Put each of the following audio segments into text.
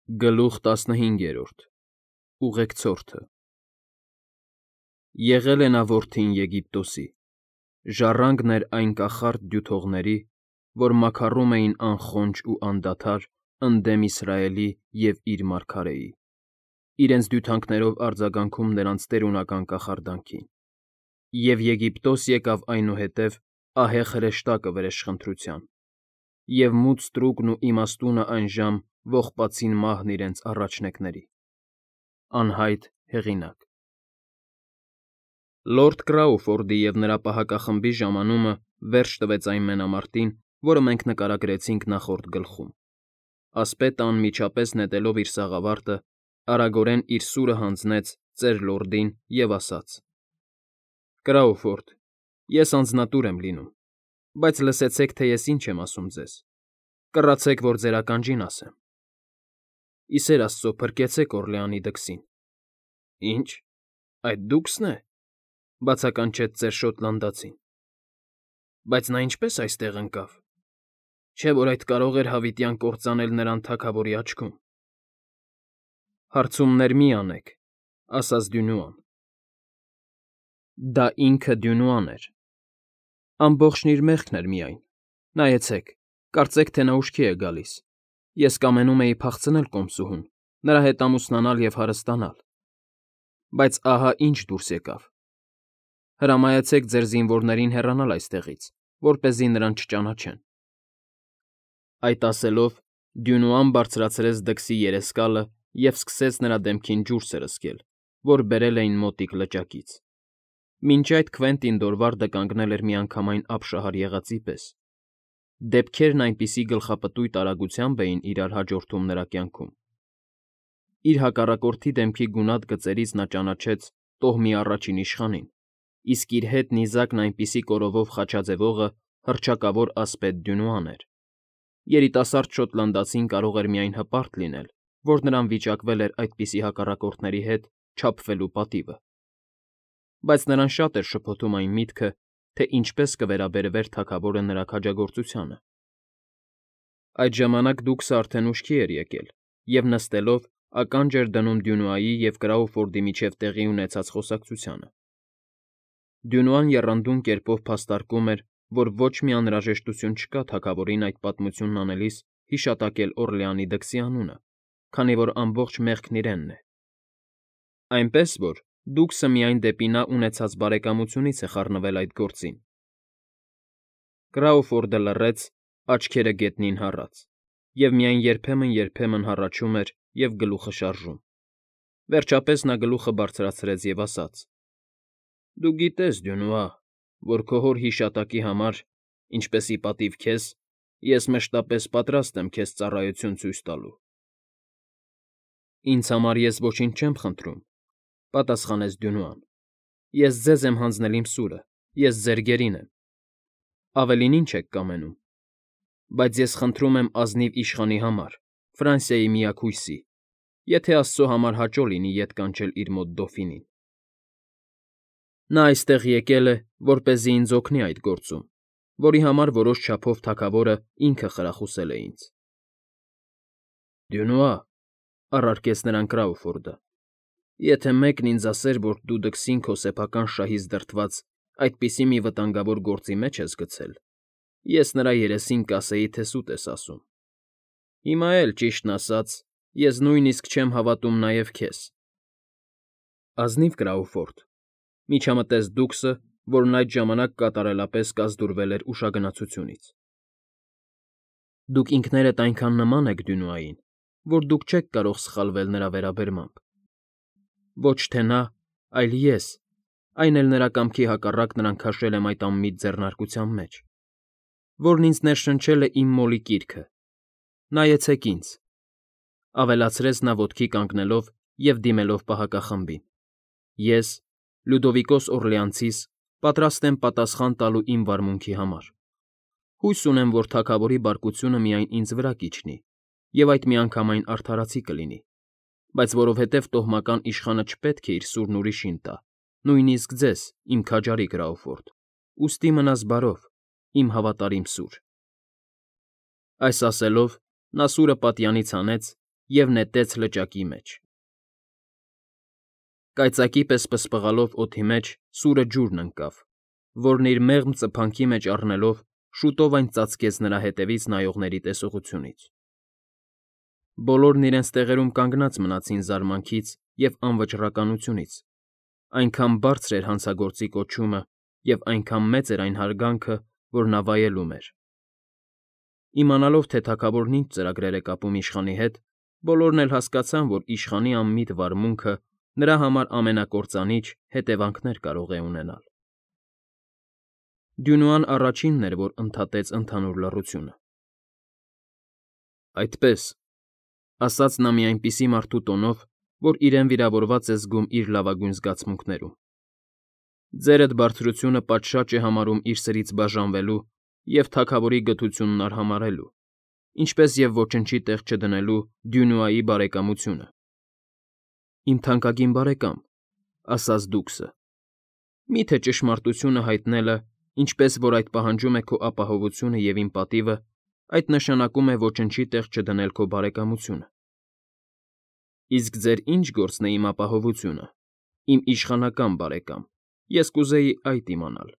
Գլուխ 15 Ուղեկցորդը Եղել է նա որդին Եգիպտոսի, ժառանգն էր այն կախարդ դյութողների, որ մաքարում էին անխոնջ ու անդադար ընդդեմ Իսրայելի և իր մարգարեի, իրենց դյութանքներով արձագանքում նրանց տերունական կախարդանքին, և Եգիպտոս եկավ այնուհետև ահեղ հրեշտակը վրեժխնդրության, և մութ ստրուկն ու իմաստունը այնժամ ողբացին մահն իրենց առաջնեկների։ Անհայտ հեղինակ։ Լորդ Կրաուֆորդի և նրա պահակախմբի ժամանումը վերջ տվեց այն մենամարտին, որը մենք նկարագրեցինք նախորդ գլխում։ Ասպետը անմիջապես նետելով իր սաղավարտը, արագորեն իր սուրը հանձնեց ծեր լորդին և ասաց. «Կրաուֆորդ, ես անձնատուր եմ լինում, բայց լսեցեք, թե ես ինչ եմ ասում ձեզ, կռացեք, որ ձեր ականջին ասեմ։ Ի սեր Աստծո, փրկեցեք Օռլեանի դքսին»։ Ինչ, այդ դուքսն է,֊ բացականչեց ծեր Շոտլանդացին։ Բայց նա ինչպե՞ս այստեղ ընկավ, չէ՞ որ այդ կարող էր հավիտյան կործանել նրան թագավորի աչքում։ Հարցումներ մի անեք,֊ ասաց Դյունուան։ Դա ինքը Դյունուան էր։ Ամբողջն իր մեղքն էր միայն, նայեցեք, կարծեք, թե նա ուշքի է գալիս։ Ես կամենում էի փախցնել կոմսուհուն, նրա հետ ամուսնանալ և հարստանալ։ Բայց ահա ինչ դուրս եկավ։ Հրամայեցեք ձեր զինվորներին հեռանալ այստեղից, որպեսզի նրան չճանաչեն։ Այդ ասելով Դյունուան բարձրացրեց դքսի երեսկալը և սկսեց նրա դեմքին ջուր սրսկել, որ բերել էին մոտիկ լճակից։ Մինչ այդ Քվենտին Դորվարդը կանգնել էր միանգամայն ապշահար եղածի պես։ Դեպքերն այնպիսի գլխապտույտ արագությամբ էին իրար հաջորդում նրա կյանքում։ Իր հակառակորդի դեմքի գունատ գծերից նա ճանաչեց տոհմի առաջին իշխանին, իսկ իր հետ նիզակն այնպիսի կորովով խաչաձևողը հռչակավոր ասպետ Դյունուան էր։ Երիտասարդ շոտլանդացին կարող էր միայն հպարտ լինել, որ նրան վիճակվել էր այդպիսի հակառակորդների հետ չափվելու պատիվը։ Բայց նրան շատ էր շփոթում այն միտքը, թե ինչպես կվերաբերվեր թագավորը նրա քաջագործությանը։ Այդ ժամանակ դուքսը արդեն ուշքի էր եկել և նստելով ականջ էր դնում Դյունուայի և Կրաուֆորդի միջև տեղի ունեցած խոսակցությանը։ Դյունուան եռանդուն կերպով փաստարկում էր, որ ոչ մի անհրաժեշտություն չկա թագավորին այդ պատմությունն անելիս հիշատակել Օռլեանի դքսի անունը, քանի որ ամբողջ մեղքն իրենն է։ Այնպես որ դուքսը միայն դեպի նա ունեցած բարեկամությունից է խառնվել այդ գործին։ Կրաուֆորդը լռեց, աչքերը գետնին հառած, և միայն երբեմն հառաչում էր և գլուխը շարժում։ Վերջապես նա գլուխը բարձրացրեց և ասաց. «Դու գիտես, Դյունուա, որ քո հոր հիշատակի համար, ինչպես ի պատիվ քեզ, ես մշտապես պատրաստ եմ քեզ ծառայություն ցույց տալու»։ Ինձ համար ես ոչինչ չեմ խնդրում,֊ պատասխանեց Դյունուան։ Ես ձեզ եմ հանձնել իմ սուրը, ես ձեր գերին եմ։ Ավելին ի՞նչ եք կամենում։ Բայց ես խնդրում եմ ազնիվ իշխանի համար, Ֆրանսիայի միակ հույսի, եթե Աստծո համար հաճո լինի ետ կանչել իր մոտ դոֆինին։ Նա այստեղ եկել է, որպեսզի ինձ օգնի այդ գործում, որի համար որոշ չափով թագավորը ինքը խրախուսել է ինձ։ Դյունուա,֊ առարկեց նրան Կրաուֆորդը,֊ եթե մեկն ինձ ասեր, որ դու դքսին քո սեփական շահից դրդված այդպիսի մի վտանգավոր գործի մեջ ես գցել, ես նրա երեսին կասեի, թե սուտ ես ասում։ Հիմա էլ, ճիշտն ասած, ես նույնիսկ չեմ հավատում նաև քեզ։ Ազնիվ Կրաուֆորդ,֊ միջամտեց դուքսը, որն այդ ժամանակ կատարելապես կազդուրվել էր ուշագնացությունից։ Դուք ինքներդ այնքան նման եք Դյունուային, որ դուք չեք կարող սխալվել նրա վերաբերմամբ։ Ոչ թե նա, այլ ես, այն էլ նրա կամքի հակառակ նրան քաշել եմ այդ անմիտ ձեռնարկության մեջ, որն ինձ ներշնչել է իմ մոլի կիրքը։ Նայեցեք ինձ,֊ ավելացրեց նա ոտքի կանգնելով և դիմելով պահակախմբին։ Ես, Լյուդովիկոս Օռլեանցիս, պատրաստ եմ պատասխան տալու իմ վարմունքի համար։ Հույս ունեմ, որ թագավորի բարկությունը միայն ինձ վրա կիջնի, և այդ միանգամայն արդարացի կլինի, բայց որովհետև տոհմական իշխանը չպետք է իր սուրն ուրիշին տա, նույնիսկ ձեզ, իմ քաջարի Կրաուֆորդ, ուստի մնաս բարով, իմ հավատարիմ սուր։ Այս ասելով նա սուրը պատյանից հանեց և նետեց լճակի մեջ։ Կայծակի պես պսպղալով օդի մեջ սուրը ջուրն ընկավ, որն իր մեղմ ծփանքի մեջ առնելով շուտով այն ծածկեց նրա հետևից նայողների տեսողությունից։ Բոլորն իրենց տեղերում կանգնած մնացին զարմանքից և անվճռականությունից, այնքան բարձր էր հանցագործի կոչումը և այնքան մեծ էր այն հարգանքը, որ նա վայելում էր։ Իմանալով, թե թագավորն ինչ ծրագրեր է կապում իշխանի հետ, բոլորն էլ հասկացան, որ իշխանի անմիտ վարմունքը նրա համար ամենակործանիչ հետևանքներ կարող է ունենալ։ Դյունուան առաջինն էր, որ ընդհատեց ընդհանուր լռությունը։ Այդպես, ասաց նա մի այնպիսի մարդու տոնով, որ իրեն վիրավորված է զգում իր լավագույն զգացմունքներում։ Ձերդ բարձրությունը պատշաճ է համարում իր սրից բաժանվելու և թագավորի գթությունն արհամարհելու, ինչպես և ոչնչի տեղ չդնելու Դյունուայի բարեկամությունը։ Իմ թանկագին բարեկամ, ասաց դուքսը, միթե ճշմարտությունը հայտնելը, ինչպես որ այդ պահանջում է քո ապահովությունը և իմ պատիվը, այդ նշանակում է ոչնչի տեղ չդնել քո բարեկամությունը։ Իսկ ձեր ինչ գործն է իմ ապահովությունը, իմ իշխանական բարեկամ, ես կուզեի այդ իմանալ,֊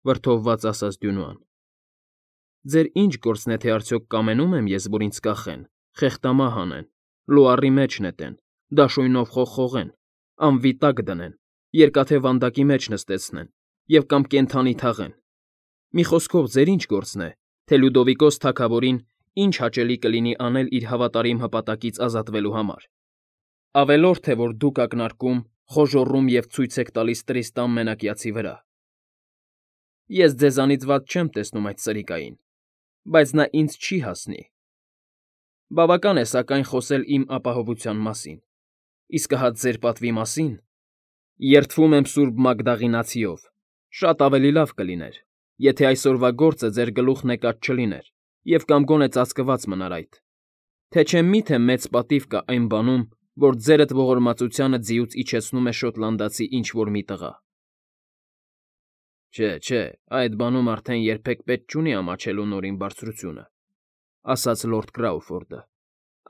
վրդովված ասաց Դյունուան։ Ձեր ինչ գործն է, թե արդյոք կամենում եմ ես, որ ինձ կախեն, խեղտամահ անեն, լուառի մեջ նետեն, դաշույնով խողխողեն, անվիտակ դնեն, երկաթե վանդակի մեջ նստեցնեն և կամ կենդանի թաղեն։ Մի խոսքով, ձեր ինչ գործն է, թե Լյուդովիկոս թագավորին ինչ հաճելի կլինի անել իր հավատարիմ հպատակից ազատվելու համար։ Ավելորդ է, որ դուք ակնարկում, խոժոռում և ցույց եք տալիս Տրիստան մենակյացի վրա։ Ես ձեզանից վատ չեմ տեսնում այդ սրիկային, բայց նա ինձ չի հասնի։ Բավական է, սակայն, խոսել իմ ապահովության մասին, իսկ հա ձեր պատվի մասին… Երդվում եմ Սուրբ Մագդաղինացիով, շատ ավելի լավ կլիներ, եթե այսօրվա գործը ձեր գլուխն եկած չլիներ և կամ գոնե ծածկված մնար այդ, թե չէ մի՞թե մեծ պատիվ կա այն բանում, որ ձերդ ողորմածությանը ձիուց իջեցնում է շոտլանդացի ինչ֊որ մի տղա։ Չէ, այդ բանում արդեն երբեք պետք չունի ամաչելու Նորին Բարձրությունը,֊ ասաց լորդ Կրաուֆորդը։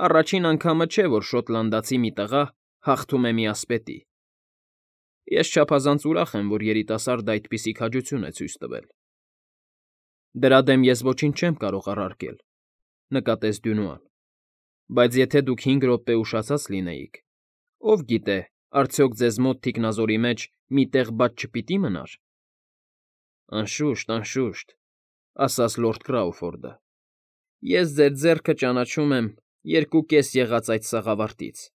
Առաջին անգամը չէ, որ շոտլանդացի մի տղա հաղթում է մի ասպետի։ Ես չափազանց ուրախ եմ, որ երիտասարդը այդպիսի քաջություն է ցույց տվել։ Դրա դեմ ես ոչինչ չեմ կարող առարկել,֊ նկատեց Դյունուան,֊ բայց եթե դուք 5 րոպե ուշացած լինեիք, ով գիտե, արդյոք ձեզ մոտ թիկնազորի մեջ մի տեղ բաց չպիտի մնար։ Անշուշտ,֊ ասաց լորդ Կրաուֆորդը, ես ձեր ձեռքը ճանաչում եմ 2.5 եղած այդ սաղավարտից։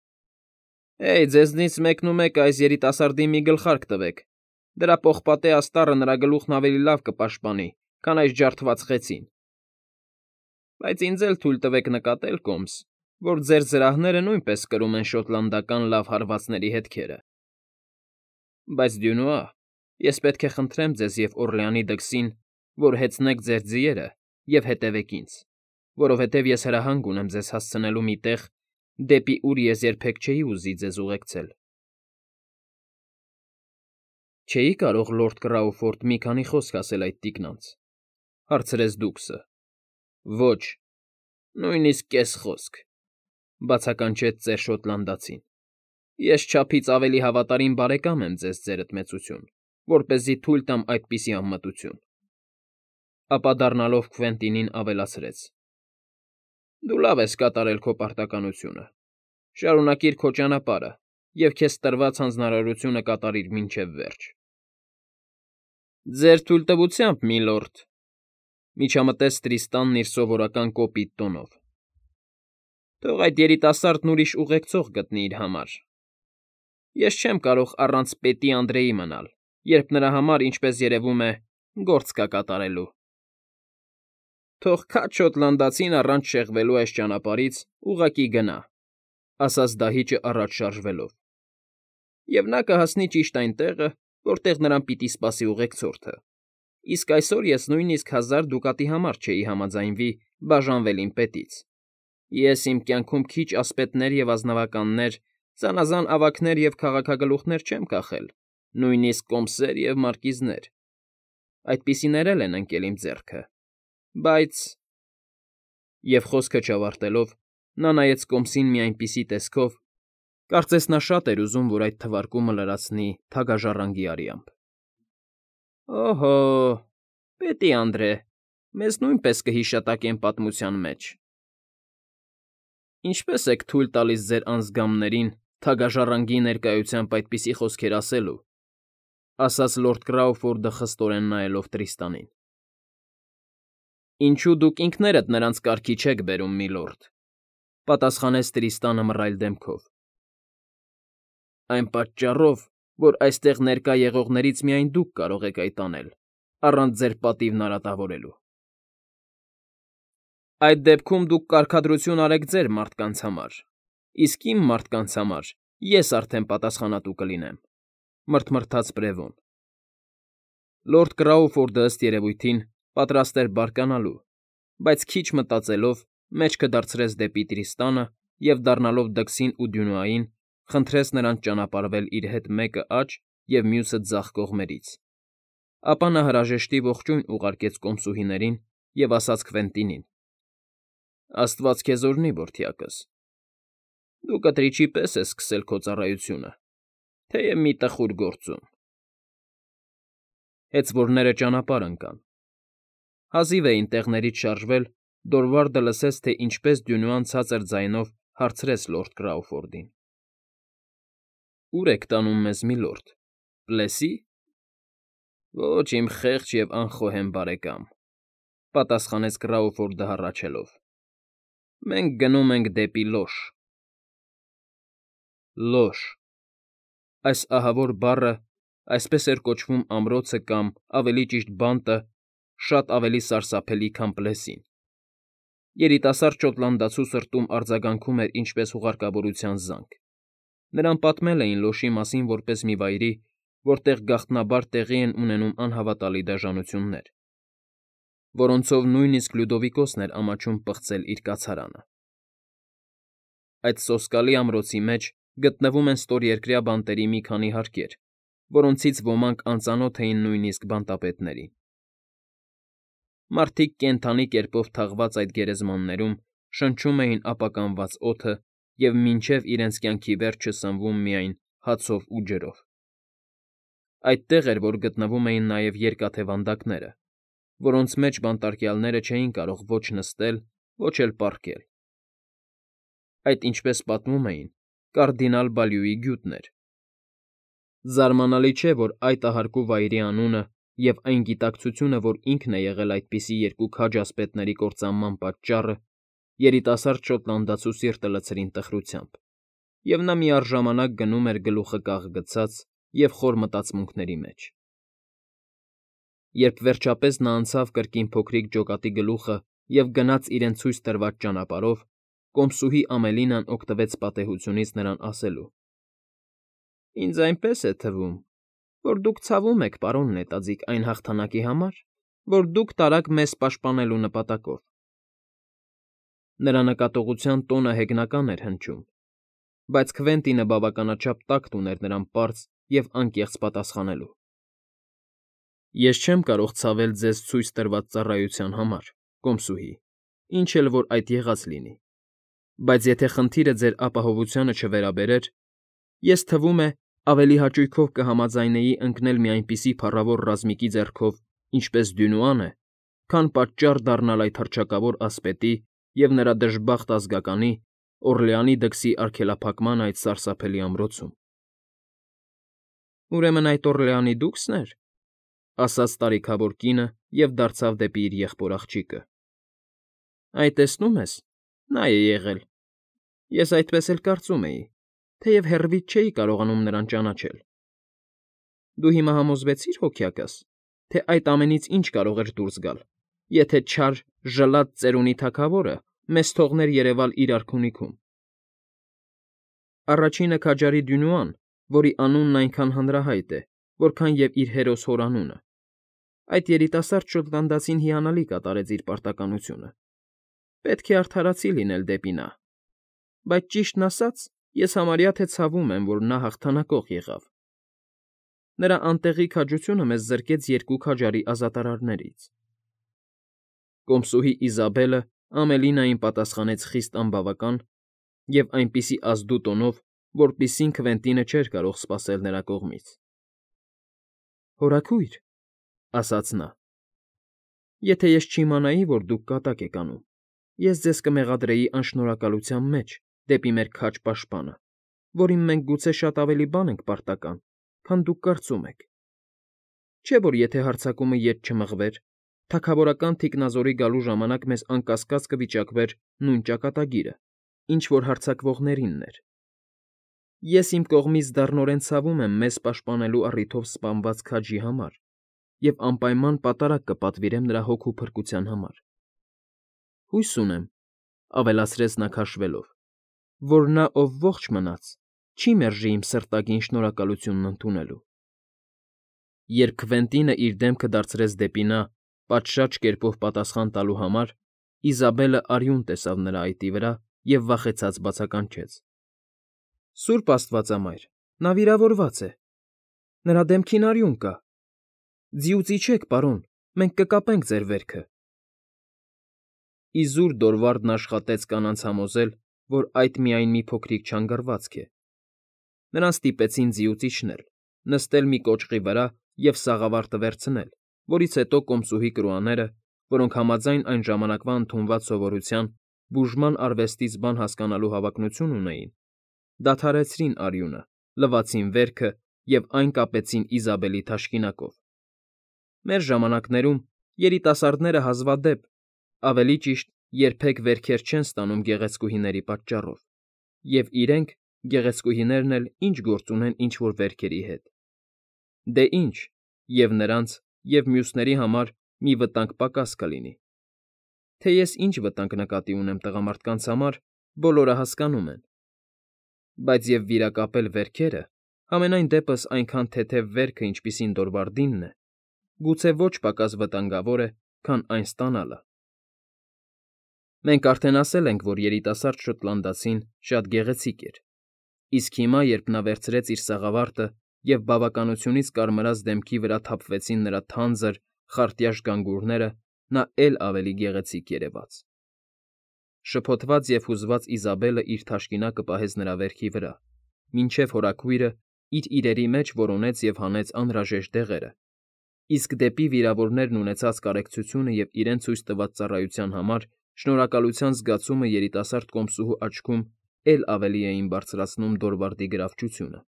Հեյ, ձեզնից մեկնումեկը այս երիտասարդին մի գլխարկ տվեք, դրա պողպատե աստառը նրա գլուխն ավելի լավ կպաշտպանի, քան այս ջարդված խեցին։ Բայց ինձ էլ թույլ տվեք նկատել, կոմս, որ ձեր զրահները նույնպես կրում են շոտլանդական լավ հարվածների հետքերը։ Բայց, Դյունուա, ես պետք է խնդրեմ ձեզ և Օռլեանի դքսին, որ հեծնեք ձեր ձիերը և հետևեք ինձ, որովհետև ես հրահանգ ունեմ ձեզ հասցնելու մի տեղ, դեպի ուր ես երբեք չէի ուզի ձեզ ուղեկցել։ Չէի՞ կարող, լորդ Կրաուֆորդ, մի քանի խոսք ասել այդ տիկնանց,֊ հարցրեց դուքսը։ Ոչ, նույնիսկ կես խոսք,֊ բացականչեց ծեր շոտլանդացին։ Ես չափից ավելի հավատարիմ բարեկամ եմ ձեզ, ձերդ մեծություն, որպեսզի թույլ տամ այդպիսի անմտություն։ Ապա դառնալով Քվենտինին ավելացրեց. Դու լավ ես կատարել քո պարտականությունը։ Շարունակիր քո ճանապարհը և քեզ տրված հանձնարարությունը կատարիր մինչև վերջ։ Ձեր թույլտվությամբ, միլորդ,֊ միջամտեց Տրիստանն իր սովորական կոպիտ տոնով,֊ թող այդ երիտասարդն ուրիշ ուղեկցող գտնի իր համար։ Ես չեմ կարող առանց պետի Անդրեի մնալ, երբ նրա համար, ինչպես երևում է, գործ կա կատարելու։ Թող քաջ շոտլանդացին առանց շեղվելու այս ճանապարհից ուղղակի գնա,֊ ասաց դահիճը առաջ շարժվելով,֊ և նա կհասնի ճիշտ այն տեղը, որտեղ նրան պիտի սպասի ուղեկցորդը, իսկ այսօր ես նույնիսկ 1000 դուկատի համար չէի համաձայնվի բաժանվել իմ պետից։ Ես իմ կյանքում քիչ ասպետներ և ազնվականներ, զանազան ավագներ և քաղաքագլուխներ չեմ կախել, նույնիսկ կոմսեր և մարկիզներ։ Այդպիսիներ էլ են ընկել իմ ձեռքը, բայց… Եվ խոսքը չավարտելով՝ Նա նայեց կոմսին մի այնպիսի տեսքով, կարծես նա շատ էր ուզում, որ այդ թվարկումը լրացնի թագաժառանգի արյամբ։ ֊ Օհո, պետի Անդրե, մեզ նույնպես կհիշատակեն պատմության մեջ։ ֊ Ինչպե՞ս եք թույլ տալիս ձեր անձգամներին թագաժառանգի ներկայությամբ այդպիսի խոսքեր ասելու,֊ ասաց լորդ Կրաուֆորդը խստորեն նայելով Տրիստանին։ ֊ Ինչու դուք ինքներդ նրանց կարգի չեք բերում, միլորդ,֊ պատասխանեց Տրիստանը մռայլ դեմքով։ ֊ Այն պատճառով, որ այստեղ ներկա եղողներից միայն դուք կարող եք այդ անել, առանց ձեր պատիվն արատավորելու։ ֊ Այդ դեպքում դուք կարգադրություն արեք ձեր մարդկանց համար, իսկ իմ մարդկանց համար ես արդեն պատասխանատու կլինեմ,֊ մռթմռթաց Բրևոն։ Լորդ Կրաուֆորդը, ըստ երևույթին, պատրաստ էր բարկանալու, բայց քիչ մտածելով, մեջքը դարձրեց դեպի Տրիստանը և, դառնալով դքսին ու Դյունուային, խնդրեց նրանց ճանապարհվել իր հետ մեկը աջ և մյուսը ձախ կողմերից, ապա նա հրաժեշտի ողջույն ուղարկեց կոմսուհիներին և ասաց Քվենտինին. «Աստված քեզ օրհնի, որդյակս, դու կտրիճի պես ես սկսել քո ծառայությունը, թեև մի տխուր գործում»։ Հեծվորները ճանապարհ ընկան։ Հազիվ էին տեղներից շարժվել, Դորվարդը լսեց, թե ինչպես Դյունուան ցածր ձայնով հարցրեց լորդ Կրաուֆորդին. «Ո՞ւր եք տանում մեզ, միլորդ, Պլեսի՞»։ «Ոչ, իմ խեղճ և անխոհեմ բարեկամ,֊ պատասխանեց Կրաուֆորդը հառաչելով,֊ մենք գնում ենք դեպի Լոշ»։ Լոշ… Այս ահավոր բառը, այսպես էր կոչվում ամրոցը կամ, ավելի ճիշտ, բանտը, շատ ավելի սարսափելի, քան Պլեսին։ Երիտասարդ շոտլանդացու սրտում արձագանքում էր ինչպես հուղարկավորության զանգ։ Նրան պատմել էին Լոշի մասին որպես մի վայրի, որտեղ գաղտնաբար տեղի են ունենում անհավատալի դաժանություններ, որոնցով նույնիսկ Լյուդովիկոսն էր ամաչում պղծել իր կացարանը։ Այդ սոսկալի ամրոցի մեջ գտնվում են ստորերկրյա բանտերի մի քանի հարկեր, որոնցից ոմանք անծանոթ էին նույնիսկ բանտապետներին։ Մարդիկ կենդանի կերպով թաղված այդ գերեզմաններում շնչում էին ապականված օդը և մինչև իրենց կյանքի վերջը սնվում միայն հացով ու ջրով։ Այդտեղ էր, որ գտնվում էին նաև երկաթե վանդակները, որոնց մեջ բանտարկյալները չէին կարող ոչ նստել, ոչ էլ պառկել։ Այդ, ինչպես պատմում էին, կարդինալ Բալյուի գյուտն էր։ Զարմանալի չէ, որ այդ ահարկու վայրի անունը և այն գիտակցությունը, որ ինքն է եղել այդպիսի երկու քաջ ասպետների կործանման պատճառը, երիտասարդ շոտլանդացու սիրտը լցրին տխրությամբ, և նա միառժամանակ գնում էր գլուխը կախ գցած և խոր մտածմունքների մեջ։ Երբ վերջապես նա անցավ կրկին փոքրիկ ջոկատի գլուխը և գնաց իրեն ցույց տրված ճանապարհով, կոմսուհի Ամելինան օգտվեց պատեհությունից նրան ասելու. «Ինձ այնպես է թվում, որ դուք ցավում եք, պարոն նետաձիգ, այն հաղթանակի համար, որ դուք տարաք մեզ պաշտպանելու նպատակով»։ Նրա նկատողության տոնը հեգնական էր հնչում, բայց Քվենտինը բավականաչափ տակտ ուներ նրան պարզ և անկեղծ պատասխանելու. «Ես չեմ կարող ցավել ձեզ ցույց տրված ծառայության համար, կոմսուհի, ինչ էլ որ այդ եղած լինի, բայց եթե խնդիրը ձեր ապահովությանը չվերաբերեր, ես, թվում է, ավելի հաճույքով կհամաձայնեի ընկնել մի այնպիսի փառավոր ռազմիկի ձեռքով, ինչպես Դյունուան է, քան պատճառ դառնալ այդ հռչակավոր ասպետի և նրա դժբախտ ազգականի՝ Օռլեանի դքսի արգելափակման այդ սարսափելի ամրոցում»։ «Ուրեմն այդ Օռլեանի դուքսն էր,֊ ասաց տարիքավոր կինը և դարձավ դեպի իր եղբոր աղջիկը։ ֊ Այ, տեսնում ես, նա է եղել։ Ես այդպես էլ կարծում էի, թեև հեռվից չէի կարողանում նրան ճանաչել։ Դու հիմա համոզվեցի՞ր, հոգյակս, թե այդ ամենից ինչ կարող էր դուրս գալ, եթե չար, ժլատ ծերունի թագավորը մեզ թողներ երևալ իր արքունիքում։ Առաջինը քաջարի Դյունուան, որի անունն այնքան հանրահայտ է, որքան և իր հերոս հորանունը։ Այդ երիտասարդ շոտլանդացին հիանալի կատարեց իր պարտականությունը։ Պետք է արդարացի լինել դեպի նա, բայց, ճիշտն ասած, ես համարյա թե ցավում եմ, որ նա հաղթանակող եղավ։ Նրա անտեղի քաջությունը մեզ զրկեց երկու քաջարի ազատարարներից։ Կոմսուհի Իզաբելը Ամելինային պատասխանեց խիստ անբավական և այնպիսի ազդու տոնով, որպիսին Քվենտինը չէր կարող սպասել նրա կողմից։ ֊ Հորաքույր,֊ ասաց նա,֊ եթե ես չիմանայի, որ դուք կատակ եք անում, ես ձեզ կմեղադրեի անշնորհակալության մեջ դեպի մեր քաջ պաշտպանը, որին մենք գուցե շատ ավելի բան ենք պարտական, քան դուք կարծում եք։ Չէ՞ որ եթե հարձակումը ետ չմղվեր, թագավորական թիկնազորի գալու ժամանակ մեզ անկասկած կվիճակվեր նույն ճակատագիրը, ինչ որ հարձակվողներինն էր։ Ես իմ կողմից դառնորեն ցավում եմ մեզ պաշտպանելու առիթով սպանված քաջի համար և անպայման պատարագ կպատվիրեմ նրա հոգու փրկության համար։ Հույս ունեմ,֊ ավելացրեց նա քաշվելով,֊ որ նա, ով ողջ մնաց, չի մերժի իմ սրտագին շնորհակալությունն ընդունելու։ Երբ Քվենտինը իր դեմքը դարձրեց դեպի նա՝ պատշաճ կերպով պատասխան տալու համար, Իզաբելը արյուն տեսավ նրա այտի վրա և վախեցած բացականչեց. ֊ Սուրբ աստվածամայր, նա վիրավորված է, նրա դեմքին արյուն կա։ Ձիուց իջեք, պարոն, մենք կկապենք ձեր վերքը։ Իզուր Դորվարդն աշխատեց կանանց համոզել, որ այդ միայն մի փոքրիկ չանգռվածք է։ Նրան ստիպեցին ձիուց իջնել, նստել մի կոճղի վրա և սաղավարտը վերցնել, որից հետո կոմսուհի կրուաները, որոնք համաձայն այն ժամանակվա ընդունված սովորության բուժման արվեստից բան հասկանալու հավակնություն ունեին, դադարեցրին արյունը, լվացին վերքը և այն կապեցին Իզաբելի թաշկինակով։ Մեր ժամանակներում երիտասարդները հազվադեպ, ավելի ճիշտ, երբեք վերքեր չեն ստանում գեղեցկուհիների պատճառով, և իրենք, գեղեցկուհիներն էլ, ինչ գործ ունեն ինչ֊որ վերքերի հետ։ Դե ինչ, և նրանց, և մյուսների համար մի վտանգ պակաս կլինի։ Թե ես ինչ վտանգ նկատի ունեմ տղամարդկանց համար, բոլորը հասկանում են։ Բայց և վիրակապել վերքերը, համենայն դեպս այնքան թեթև վերքը, ինչպիսին Դորվարդինն է, գուցե ոչ պակաս վտանգավոր է, քան այն ստանալը։ Մենք արդեն ասել ենք, որ երիտասարդ շոտլանդացին շատ գեղեցիկ էր, իսկ հիմա, երբ նա վերցրեց իր սաղավարտը և բավականությունից կարմրած դեմքի վրա թափվեցին նրա թանձր, խարտյաշ գանգուրները, նա էլ ավելի գեղեցիկ երևաց։ Շփոթված և հուզված Իզաբելը իր թաշկինակը պահեց նրա վերքի վրա, մինչև հորաքույրը իր իրերի մեջ որոնեց և հանեց անհրաժեշտ դեղերը, իսկ դեպի վիրավորներն ունեցած կարեկցությունը և իրեն ցույց տված ծառայության համար շնորհակալության զգացումը երիտասարդ կոմսուհու աչքում էլ ավելի էին բարձրացնում Դորվարդի գրավչությունը։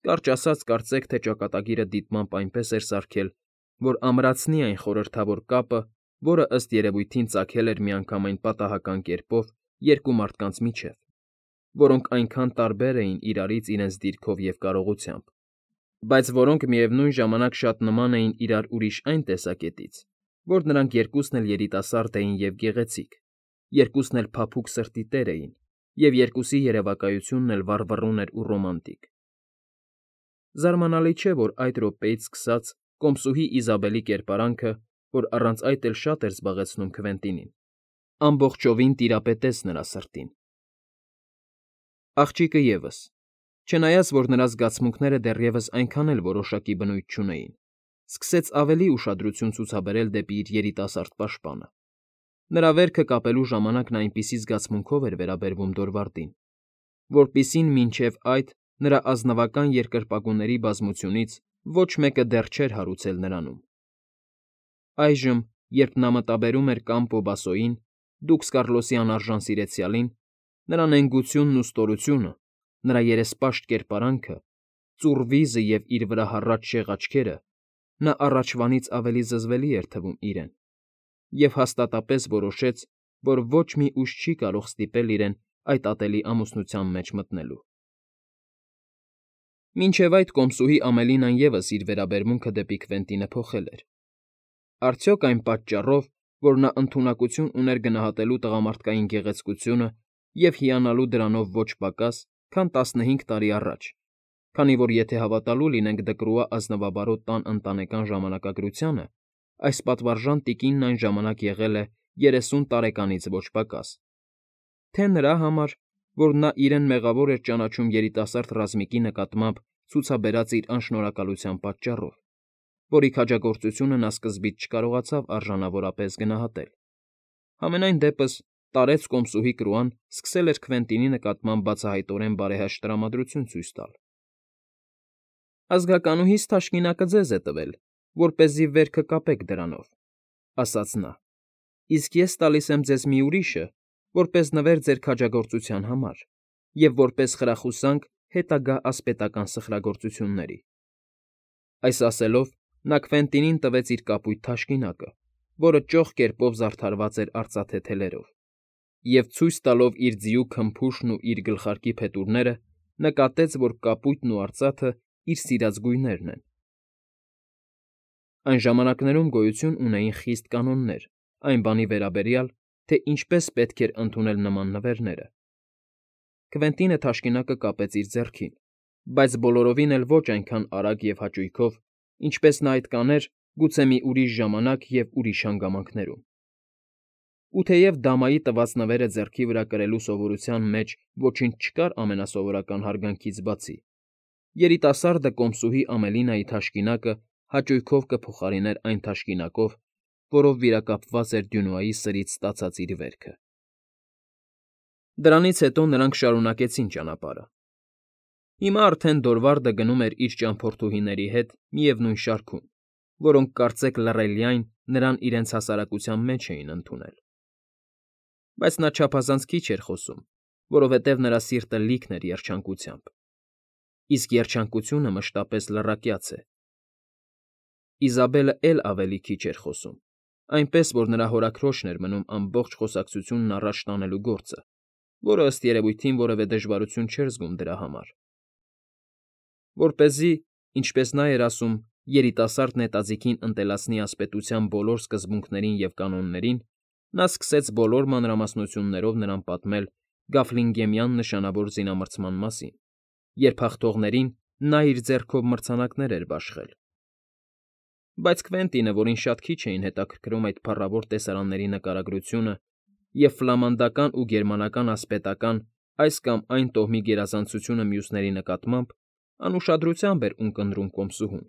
Կարճ ասած, կարծեք թե ճակատագիրը դիտմամբ այնպես էր սարքել, որ ամրացնի այն խորհրդավոր կապը, որը ըստ երևույթին ծագել էր միանգամայն պատահական կերպով երկու մարդկանց միջև, որոնք այնքան տարբեր էին իրարից իրենց դիրքով և կարողությամբ, բայց որոնք միևնույն ժամանակ շատ նման էին իրար ուրիշ այն տեսակետից, որ նրանք երկուսն էլ երիտասարդ էին և գեղեցիկ, երկուսն էլ փափուկ սրտի տեր էին, և երկուսի երևակայությունն էլ վառվռուն էր ու ռոմանտիկ։ Զարմանալի չէ, որ այդ րոպեից սկսած կոմսուհի Իզաբելի կերպարանքը, որ առանց այդ էլ շատ էր զբաղեցնում Քվենտինին, ամբողջովին տիրապետեց նրա սրտին։ Աղջիկը ևս, չնայած որ նրա զգացմունքները դեռևս այնքան էլ որոշակի բնույթ չունեին, սկսեց ավելի ուշադրություն ցուցաբերել դեպի իր երիտասարդ պաշտպանը։ Նրա վերքը կապելու ժամանակ նա այնպիսի զգացմունքով էր վերաբերվում Դորվարդին, որպիսին մինչև այդ նրա ազնվական երկրպագուների բազմությունից ոչ մեկը դեռ չէր հարուցել նրանում։ Այժմ, երբ նա մտաբերում էր Կամպո Բասոյին, դուքս Կառլոսի անարժան սիրեցյալին, նրա նենգությունն ու ստորությունը, նրա երեսպաշտ կերպարանքը, ծուռ վիզը և իր վրա հառած շեղ աչքերը, նա առաջվանից ավելի զզվելի էր թվում իրեն և հաստատապես որոշեց, որ ոչ մի ուժ չի կարող ստիպել իրեն այդ ատելի ամուսնության մեջ մտնելու։ Մինչև այդ կոմսուհի Ամելինան ևս իր վերաբերմունքը դեպի Քվենտինը փոխել էր։ Արդյոք այն պատճառով, որ նա ընդունակություն ուներ գնահատելու տղամարդկային գեղեցկությունը և հիանալու դրանով ոչ պակաս, քան 15 տարի առաջ, քանի որ եթե հավատալու լինենք Դկրուա ազնվաբարոտ տան ընտանեկան ժամանակագրությանը, այս պատվարժան տիկինն այն ժամանակ եղել է 30 տարեկանից ոչ պակաս, թե նրա համար, որ նա իրեն մեղավոր էր ճանաչում երիտասարդ ռազմիկի նկատմամբ ցուցաբերած իր անշնորհակալության պատճառով, որի քաջագործությունը նա սկզբից չկարողացավ արժանավորապես գնահատել։ Համենայն դեպս տարեց կոմսուհի Կրուան սկսել էր Քվենտինի նկատմամբ բացահայտորեն բարեհաշտ տրամադրություն ցույց տալ։ Ազգականուհիս թաշկինակը ձեզ է տվել, որպեսզի վերքը կապեք դրանով, ասաց նա, իսկ ես տալիս եմ ձեզ մի ուրիշը, որպես նվեր ձեր քաջագործության համար և որպես խրախուսանք հետագա ասպետական սխրագործությունների։ Այս ասելով նա Քվենտինին տվեց իր կապույտ թաշկինակը, որը ճոխ կերպով զարդարված էր արծաթե թելերով, և ցույց տալով իր ձիու քմփուշն ու իր գլխարկի փետուրները, նկատեց, որ կապույտն ու արծաթը իր սիրած գույներն են։ Այն ժամանակներում գոյություն ունեին խիստ կանոններ այն բանի վերաբերյալ, թե ինչպես պետք էր ընդունել նման նվերները։ Քվենտինը թաշկինակը կապեց իր ձեռքին, բայց բոլորովին էլ ոչ այնքան արագ և հաճույքով, ինչպես նա այդ կաներ գուցե մի ուրիշ ժամանակ և ուրիշ հանգամանքներում։ Ու թեև դամայի տված նվերը ձեռքի վրա կրելու սովորության մեջ ոչինչ չկար ամենասովորական հարգանքից բացի, երիտասարդը կոմսուհի Ամելինայի թաշկինակը հաճույքով կփոխարիներ այն թաշկինակով, որով վիրակապված էր Դյունուայի սրից ստացած իր վերքը։ Դրանից հետո նրանք շարունակեցին ճանապարհը։ Հիմա արդեն Դորվարդը գնում էր իր ճամփորդուհիների հետ միևնույն շարքում, որոնք կարծեք լռելյայն նրան իրենց հասարակության մեջ էին ընդունել։ Բայց նա չափազանց քիչ էր խոսում, որովհետև նրա սիրտը լիքն էր երջանկությամբ, իսկ երջանկությունը մշտապես լռակյաց է։ Իզաբելը էլ ավելի քիչ էր խոսում, այնպես որ նրա հորաքրոջն էր մնում ամբողջ խոսակցությունն առաջ տանելու գործը, որը ըստ երևույթին որևէ դժվարություն չէր զգում դրա համար։ Որպեսզի, ինչպես նա էր ասում, երիտասարդ նետաձիգին ընտելացնի ասպետության բոլոր սկզբունքներին և կանոններին, նա սկսեց բոլոր մանրամասնություններով նրան պատմել Գաֆլինգեմյան նշանավոր զինամրցման մասին, երբ հաղթողներին նա իր ձեռքով մրցանակներ էր բաշխել։ Բայց Քվենտինը, որին շատ քիչ էին հետաքրքրում այդ փառավոր տեսարանների նկարագրությունը և ֆլամանդական ու գերմանական ասպետական այս կամ այն տոհմի գերազանցությունը մյուսների նկատմամբ, անուշադրությամբ էր ունկնդրում կոմսուհուն։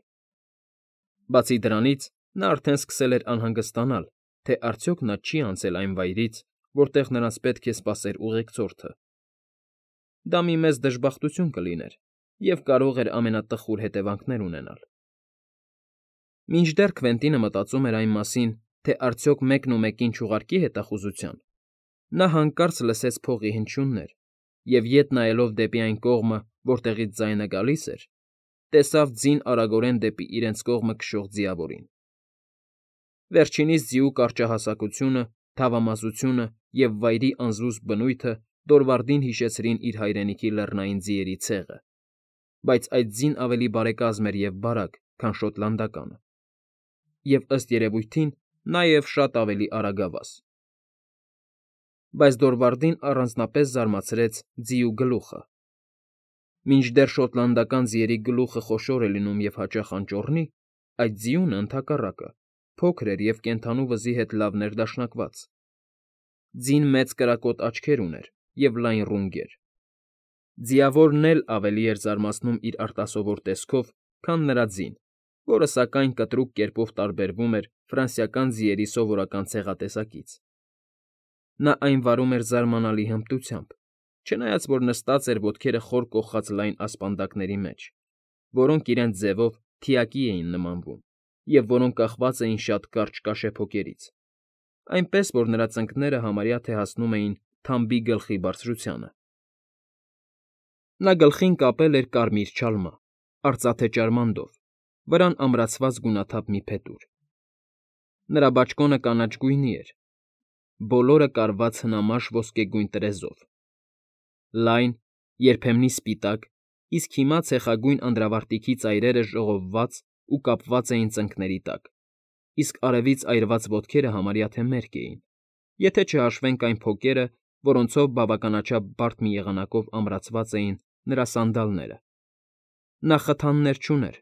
Բացի դրանից, նա արդեն սկսել էր անհանգստանալ, թե արդյոք նա չի անցել այն վայրից, որտեղ նրանց պետք է սպասեր ուղեկցորդը։ Դա մի մեծ դժբախտություն կլիներ և կարող էր ամենատխուր հետևանքներ ունենալ։ Մինչդեռ Քվենտինը մտածում էր այն մասին, թե արդյոք մեկն ու մեկին չուղարկի հետախուզության, նա հանկարծ լսեց փողի հնչյուններ և, ետ նայելով դեպի այն կողմը, որտեղից ձայնը գալիս էր, տեսավ ձին արագորեն դեպի իրենց կողմը քշող ձիավորին։ Վերջինիս ձիու կարճահասակությունը, թավամասությունը և վայրի անզուսպ բնույթը Դորվարդին հիշեցրին իր հայրենիքի լեռնային ձիերի ցեղը, բայց այդ ձին ավելի բարեկազմ էր և բարակ, քան շոտլանդականը, և, ըստ երևույթին, նաև շատ ավելի արագավազ։ Բայց Դորվարդին առանձնապես զարմացրեց ձիու գլուխը։ Մինչդեռ շոտլանդական ձիերի գլուխը խոշոր է լինում և հաճախ անճոռնի, այդ ձիունը, ընդհակառակը, փոքր էր և կենդանու վզի հետ լավ ներդաշնակված։ Ձին մեծ կրակոտ աչքեր ուներ և լայն ռունգեր։ Ձիավորն էլ ավելի էր զարմացնում իր արտասովոր տեսքով, քան նրա ձին, որը, սակայն, կտրուկ կերպով տարբերվում էր ֆրանսիական ձիերի սովորական ցեղատեսակից։ Նա այն վարում էր զարմանալի հմտությամբ, չնայած որ նստած էր ոտքերը խոր կոխած լայն ասպանդակների մեջ, որոնք իրենց ձևով թիակի էին նմանվում և որոնք կախված էին շատ կարճ կաշեփոկերից, այնպես որ նրա ծնկները համարյա թե հասնում էին թամբի գլխի բարձրությանը։ Նա գլխին կապել էր կարմիր չալմա, արծաթե ճարմանդով, վրան ամրացված գունաթափ մի փետուր։ Նրա բաճկոնը կանաչ գույնի էր, բոլորը կարված հնամաշ ոսկեգույն տրեզով։ Լայն, երբեմնի սպիտակ, իսկ հիմա ցեխագույն անդրավարտիքի ծայրերը ժողովված ու կապված էին ծնկների տակ, իսկ արևից այրված ոտքերը համարյա թե մերկ էին, եթե չհաշվենք այն փոկերը, որոնցով բավականաչափ բարդ մի եղանակով ամրացված էին նրա սանդալները։ Նա խթաններ չուներ,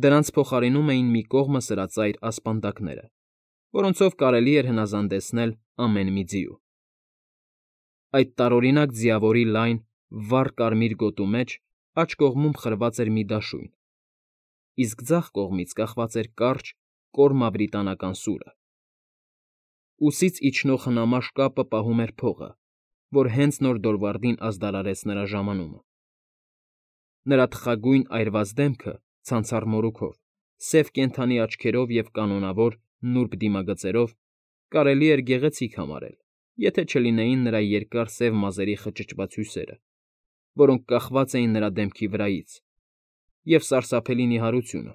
դրանց փոխարինում էին մի կողմը սրածայր ասպանդակները, որոնցով կարելի էր հնազանդեցնել ամեն մի ձիու։ Այդ տարօրինակ ձիավորի լայն, վառ կարմիր գոտու մեջ աջ կողմում խրված էր մի դաշույն, իսկ ձախ կողմից կախված էր կարճ, կոր մավրիտանական սուրը։ Ուսից իջնող հնամաշ կապը պահում էր փողը, որ հենց նոր Դորվարդին ազդարարեց նրա ժամանումը։ Նրա թխագույն այրված դեմքը ցանցառ մորուքով, սև կենդանի աչքերով և կանոնավոր նուրբ դիմագծերով կարելի էր գեղեցիկ համարել, եթե չլինեին նրա երկար սև մազերի խճճված հյուսերը, որոնք կախված էին նրա դեմքի վրայից, և սարսափելի նիհարությունը,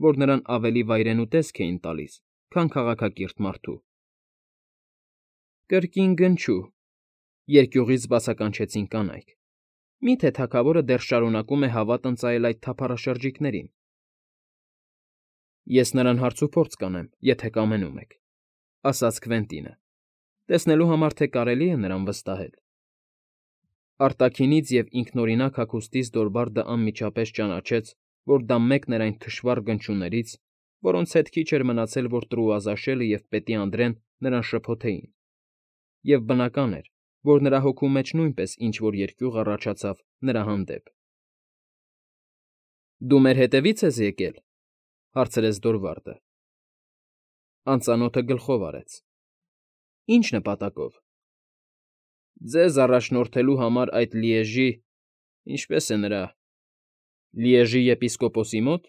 որ նրան ավելի վայրենու տեսք էին տալիս, քան քաղաքակիրթ մարդու։ Կրկին գնչու, երկյուղից բացականչեցին կանայք։ Մի՞թե թագավորը դեռ շարունակում է հավատ ընծայել այդ թափառաշրջիկներին։ Ես նրան հարցուփորձ կանեմ, եթե կամենում եք, ասաց Քվենտինը, տեսնելու համար, թե կարելի է նրան վստահել։ Արտաքինից և ինքնօրինակ հագուստից Դորվարդը անմիջապես ճանաչեց, որ դա մեկն էր այն թշվառ գնչուներից, որոնց հետ քիչ էր մնացել, որ Տրուազաշելը և Պետի Անդրեն նրան շփոթեին, և բնական էր, որ նրա հոգու մեջ նույնպես ինչ֊որ երկյուղ առաջացավ նրա հանդեպ։ ֊ Դու մեր հետևի՞ց ես եկել,֊ հարցրեց Դորվարդը։ Անծանոթը գլխով արեց։ ֊ Ի՞նչ նպատակով։ ֊ Ձեզ առաջնորդելու համար այդ Լիեժի… ինչպե՞ս է նրա… Լիեժի եպիսկոպոսի մոտ,֊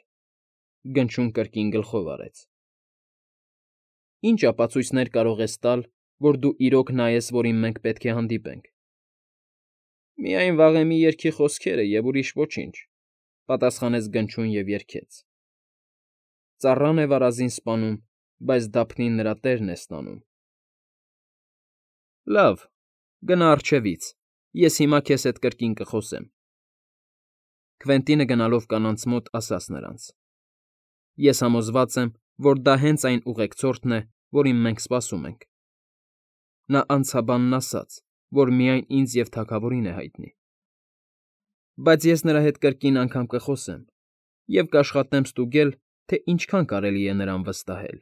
գնչուն կրկին գլխով արեց։ ֊ Ի՞նչ ապացույցներ կարող ես տալ, որ դու իրոք նա ես, որին մենք պետք է հանդիպենք։ ֊ Միայն վաղեմի երգի խոսքերը և ուրիշ ոչինչ,֊ պատասխանեց գնչուն և երգեց. Ծառան է վարազին սպանում, բայց դափնին նրա տերն է ստանում։ ֊ Լավ, գնա առջևից, ես հիմա քեզ հետ կրկին կխոսեմ,֊ Քվենտինը գնալով կանանց մոտ ասաց նրանց։֊ Ես համոզված եմ, որ դա հենց այն ուղեկցորդն է, որին մենք սպասում ենք։ Նա անցաբանն ասաց, որ միայն ինձ և թագավորին է հայտնի։ Բայց ես նրա հետ կրկին անգամ կխոսեմ և կաշխատեմ ստուգել, թե ինչքան կարելի է նրան վստահել։